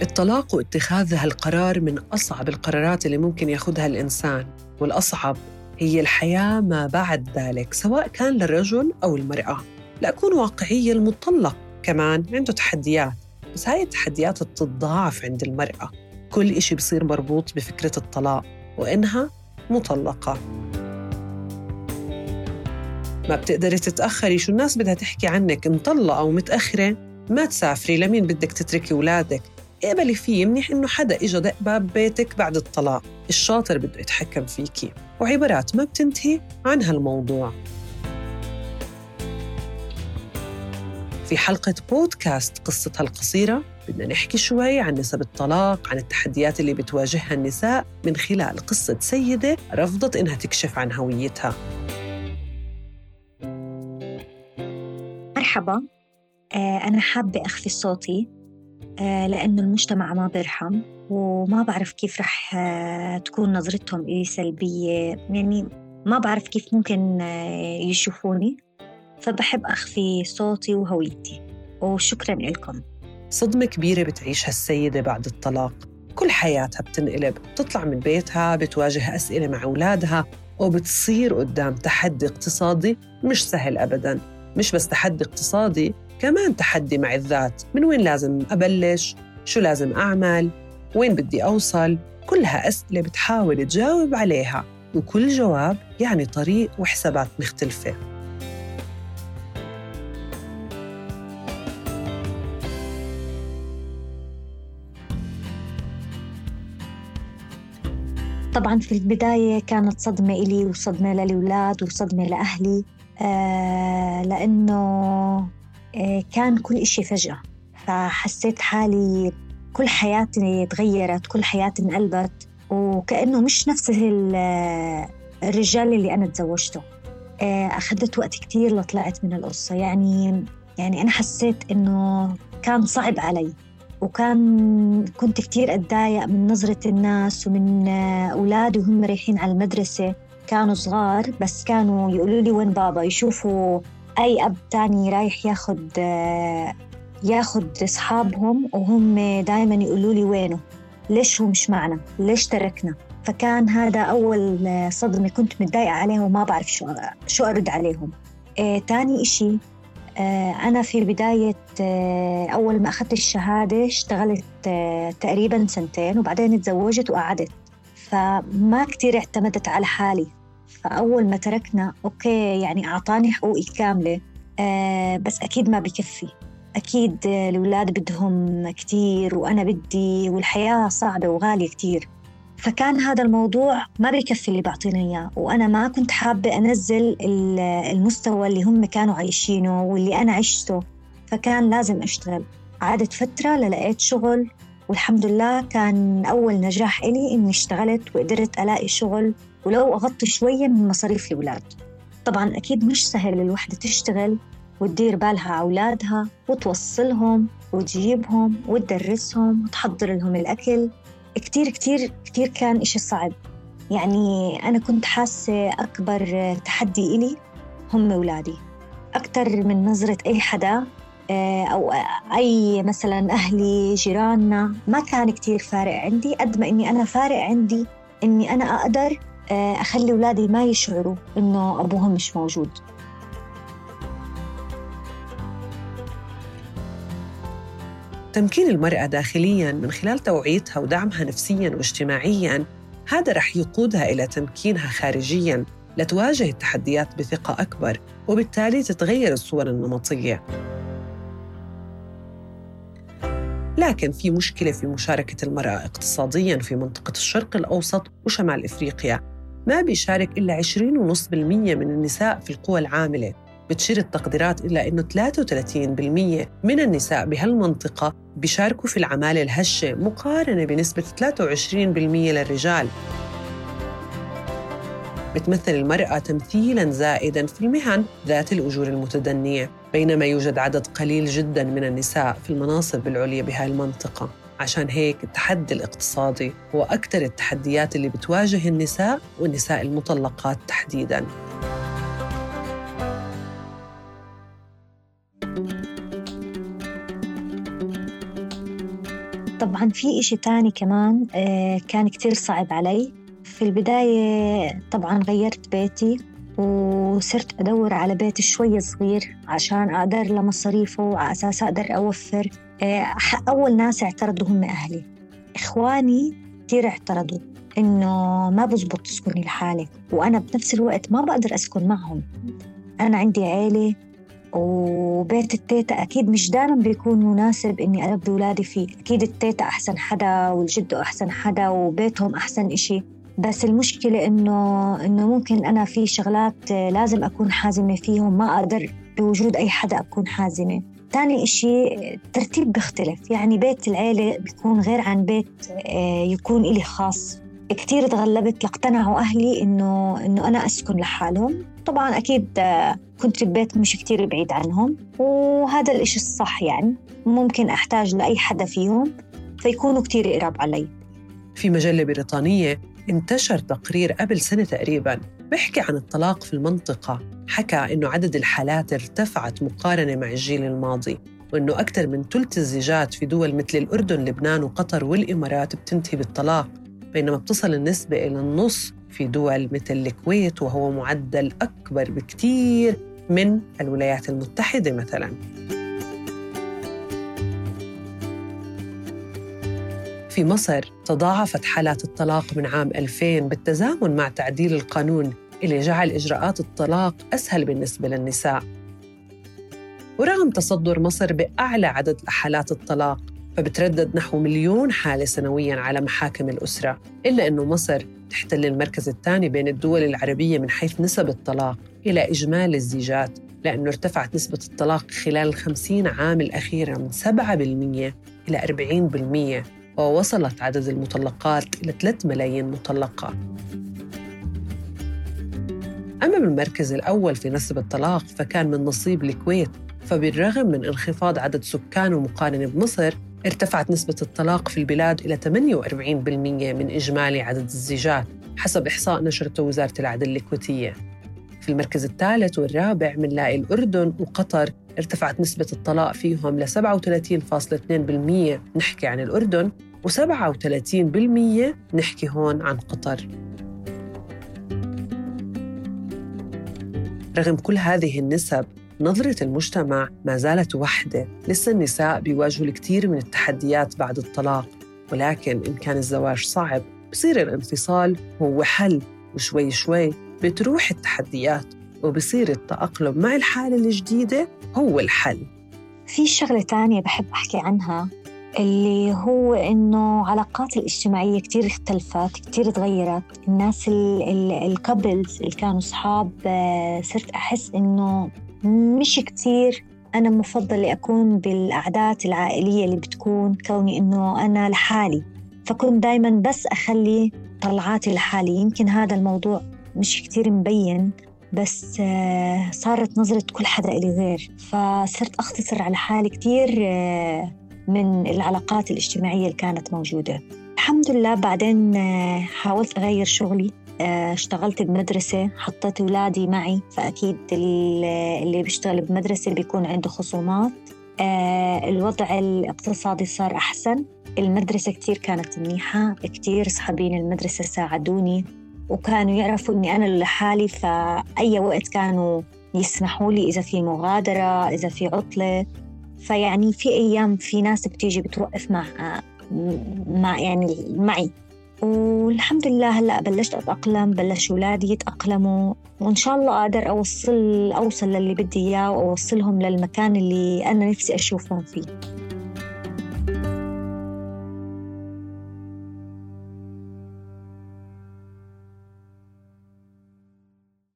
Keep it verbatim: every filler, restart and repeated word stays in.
الطلاق واتخاذ هالقرار من أصعب القرارات اللي ممكن ياخدها الإنسان، والأصعب هي الحياة ما بعد ذلك، سواء كان للرجل أو المرأة. لأكون واقعية، المطلق كمان عنده تحديات، بس هاي التحديات بتتضاعف عند المرأة. كل إشي بصير مربوط بفكرة الطلاق وإنها مطلقة. ما بتقدري تتأخري، شو الناس بدها تحكي عنك، مطلقة أو متأخرة ما تسافري، لمين بدك تتركي ولادك؟ اقبلي فيه، منيح إنه حدا إجا دق باب بيتك بعد الطلاق، الشاطر بده يتحكم فيكي، وعبارات ما بتنتهي عن هالموضوع. في حلقة بودكاست قصتها القصيرة بدنا نحكي شوي عن نسب الطلاق، عن التحديات اللي بتواجهها النساء من خلال قصة سيدة رفضت إنها تكشف عن هويتها. مرحبا، أنا حابة أخفي صوتي لأنه المجتمع ما بيرحم، وما بعرف كيف رح تكون نظرتهم إلي سلبية، يعني ما بعرف كيف ممكن يشوفوني، فبحب أخفي صوتي وهويتي. وشكراً لكم. صدمة كبيرة بتعيشها السيدة بعد الطلاق، كل حياتها بتنقلب، بتطلع من بيتها، بتواجه أسئلة مع أولادها، وبتصير قدام تحدي اقتصادي مش سهل أبداً. مش بس تحدي اقتصادي، كمان تحدي مع الذات، من وين لازم أبلش؟ شو لازم أعمل؟ وين بدي أوصل؟ كلها أسئلة بتحاول تجاوب عليها، وكل جواب يعني طريق وحسابات مختلفة. طبعاً في البداية كانت صدمة إلي وصدمة للأولاد وصدمة لأهلي، آه لأنه آه كان كل إشي فجأة، فحسيت حالي كل حياتي تغيرت، كل حياتي انقلبت، وكأنه مش نفس الرجال اللي أنا تزوجته. آه أخذت وقت كتير لطلعت من القصة، يعني يعني أنا حسيت إنه كان صعب علي، وكان كنت كتير أتضايق من نظرة الناس ومن أولادي وهم رايحين على المدرسة. كانوا صغار بس كانوا يقولوا لي وين بابا، يشوفوا أي أب تاني رايح ياخد ياخد أصحابهم وهم دايماً يقولوا لي وينه، ليش هو مش معنا، ليش تركنا. فكان هذا أول صدمة كنت متضايقة عليهم وما بعرف شو شو أرد عليهم. آه، تاني إشي، أنا في بداية أول ما أخذت الشهادة اشتغلت تقريباً سنتين، وبعدين اتزوجت وقعدت، فما كتير اعتمدت على حالي. فأول ما تركنا أوكي يعني أعطاني حقوقي كاملة، بس أكيد ما بكفي، أكيد الأولاد بدهم كتير وأنا بدي، والحياة صعبة وغالية كتير. فكان هذا الموضوع ما بيكفي اللي بعطينا إياه، وأنا ما كنت حابة أنزل المستوى اللي هم كانوا عايشينه واللي أنا عشته، فكان لازم أشتغل. عادت فترة للقيت شغل، والحمد لله كان أول نجاح إلي إني اشتغلت وقدرت ألاقي شغل ولو أغطي شوية من مصاريف الأولاد. طبعاً أكيد مش سهل الوحدة تشتغل وتدير بالها على أولادها وتوصلهم وتجيبهم وتدرسهم وتحضر لهم الأكل. كتير كتير كتير كان إشي صعب. يعني أنا كنت حاسة أكبر تحدي إلي هم أولادي، أكتر من نظرة أي حدا أو أي مثلاً أهلي جيراننا. ما كان كتير فارق عندي قد ما إني أنا فارق عندي إني أنا أقدر أخلي أولادي ما يشعروا إنه أبوهم مش موجود. تمكين المرأة داخلياً من خلال توعيتها ودعمها نفسياً واجتماعياً، هذا رح يقودها إلى تمكينها خارجياً لتواجه التحديات بثقة أكبر، وبالتالي تتغير الصور النمطية. لكن في مشكلة في مشاركة المرأة اقتصادياً في منطقة الشرق الأوسط وشمال إفريقيا. ما بيشارك إلا عشرين فاصلة خمسة بالمئة من النساء في القوى العاملة. بتشير التقديرات إلى أنه ثلاثة وثلاثين بالمئة من النساء بهالمنطقة بيشاركوا في العمالة الهشة، مقارنة بنسبة ثلاثة وعشرين بالمئة للرجال. بتمثل المرأة تمثيلاً زائداً في المهن ذات الأجور المتدنية، بينما يوجد عدد قليل جداً من النساء في المناصب العليا بهاي المنطقة. عشان هيك التحدي الاقتصادي هو أكثر التحديات اللي بتواجه النساء، والنساء المطلقات تحديداً. طبعاً في إشي تاني كمان آه كان كتير صعب علي في البداية. طبعاً غيرت بيتي وصرت أدور على بيت شوي صغير عشان أقدر لمصاريفه وعلى أساس أقدر أوفر. آه أول ناس اعترضوا هم أهلي. إخواني كتير اعترضوا إنه ما بزبط تسكني لحالك، وأنا بنفس الوقت ما بقدر أسكن معهم. أنا عندي عيلة وبيت التيتا أكيد مش دائما بيكون مناسب إني أربي أولادي فيه. أكيد التيتا أحسن حدا والجد أحسن حدا وبيتهم أحسن إشي، بس المشكلة إنه إنه ممكن أنا في شغلات لازم أكون حازمة فيهم، ما أقدر بوجود أي حدا أكون حازمة. تاني إشي ترتيب بيختلف، يعني بيت العيلة بيكون غير عن بيت يكون إلي خاص. كتير تغلبت لاقتنعوا أهلي إنه إنه أنا أسكن لحالهم. طبعاً أكيد كنت ببيت مش كتير بعيد عنهم، وهذا الإشي الصح، يعني ممكن أحتاج لأي حدا فيهم فيكونوا كتير قراب علي. في مجلة بريطانية انتشر تقرير قبل سنة تقريباً بيحكي عن الطلاق في المنطقة. حكى إنه عدد الحالات ارتفعت مقارنة مع الجيل الماضي، وإنه أكثر من ثلث الزيجات في دول مثل الأردن، لبنان وقطر والإمارات بتنتهي بالطلاق، بينما بتصل النسبة إلى النص في دول مثل الكويت، وهو معدل أكبر بكتير من الولايات المتحدة مثلاً. في مصر تضاعفت حالات الطلاق من عام ألفين بالتزامن مع تعديل القانون اللي جعل إجراءات الطلاق أسهل بالنسبة للنساء. ورغم تصدر مصر بأعلى عدد حالات الطلاق، فبتردد نحو مليون حالة سنوياً على محاكم الأسرة، إلا أنه مصر تحتل المركز الثاني بين الدول العربية من حيث نسب الطلاق إلى إجمالي الزيجات، لأنه ارتفعت نسبة الطلاق خلال الخمسين عام الأخيرة من سبعة بالمئة إلى أربعين بالمئة، ووصلت عدد المطلقات إلى ثلاثة ملايين مطلقة. أما بالمركز الأول في نسب الطلاق فكان من نصيب الكويت، فبالرغم من انخفاض عدد سكانه مقارنة بمصر، ارتفعت نسبة الطلاق في البلاد إلى ثمانية وأربعين بالمئة من إجمالي عدد الزيجات حسب إحصاء نشرته وزارة العدل الكويتية. في المركز الثالث والرابع منلاقي الأردن وقطر، ارتفعت نسبة الطلاق فيهم ل سبعة وثلاثين فاصلة اثنين بالمئة نحكي عن الأردن، وسبعة وثلاثين بالمئة نحكي هون عن قطر. رغم كل هذه النسب، نظرة المجتمع ما زالت واحدة. لسه النساء بيواجهوا الكثير من التحديات بعد الطلاق، ولكن إن كان الزواج صعب بصير الانفصال هو حل، وشوي شوي بتروح التحديات وبصير التأقلم مع الحالة الجديدة هو الحل. في شغلة تانية بحب أحكي عنها، اللي هو إنه علاقات الاجتماعية كتير اختلفت، كتير تغيرت. الناس الكابلز اللي كانوا صحاب صرت أحس إنه مش كتير أنا مفضل أكون بالأعداد العائلية اللي بتكون كوني إنه أنا لحالي، فكنت دايماً بس أخلي طلعاتي لحالي. يمكن هذا الموضوع مش كتير مبين، بس صارت نظرة كل حدا إلي غير، فصرت أختصر على حالي كتير من العلاقات الاجتماعية اللي كانت موجودة. الحمد لله بعدين حاولت أغير شغلي، اشتغلت بمدرسة، حطيت أولادي معي، فأكيد اللي بيشتغل بمدرسة بيكون عنده خصومات. الوضع الاقتصادي صار أحسن. المدرسة كتير كانت منيحة، كتير صحابين المدرسة ساعدوني وكانوا يعرفوا أني أنا لحالي، فأي وقت كانوا يسمحوا لي إذا في مغادرة، إذا في عطلة. فيعني في أيام في ناس بتيجي بتوقف مع مع يعني معي، والحمد لله هلأ بلشت أتأقلم، بلش أولادي يتأقلموا، وإن شاء الله أقدر أوصل أوصل للي بدي إياه وأوصلهم للمكان اللي أنا نفسي أشوفهم فيه.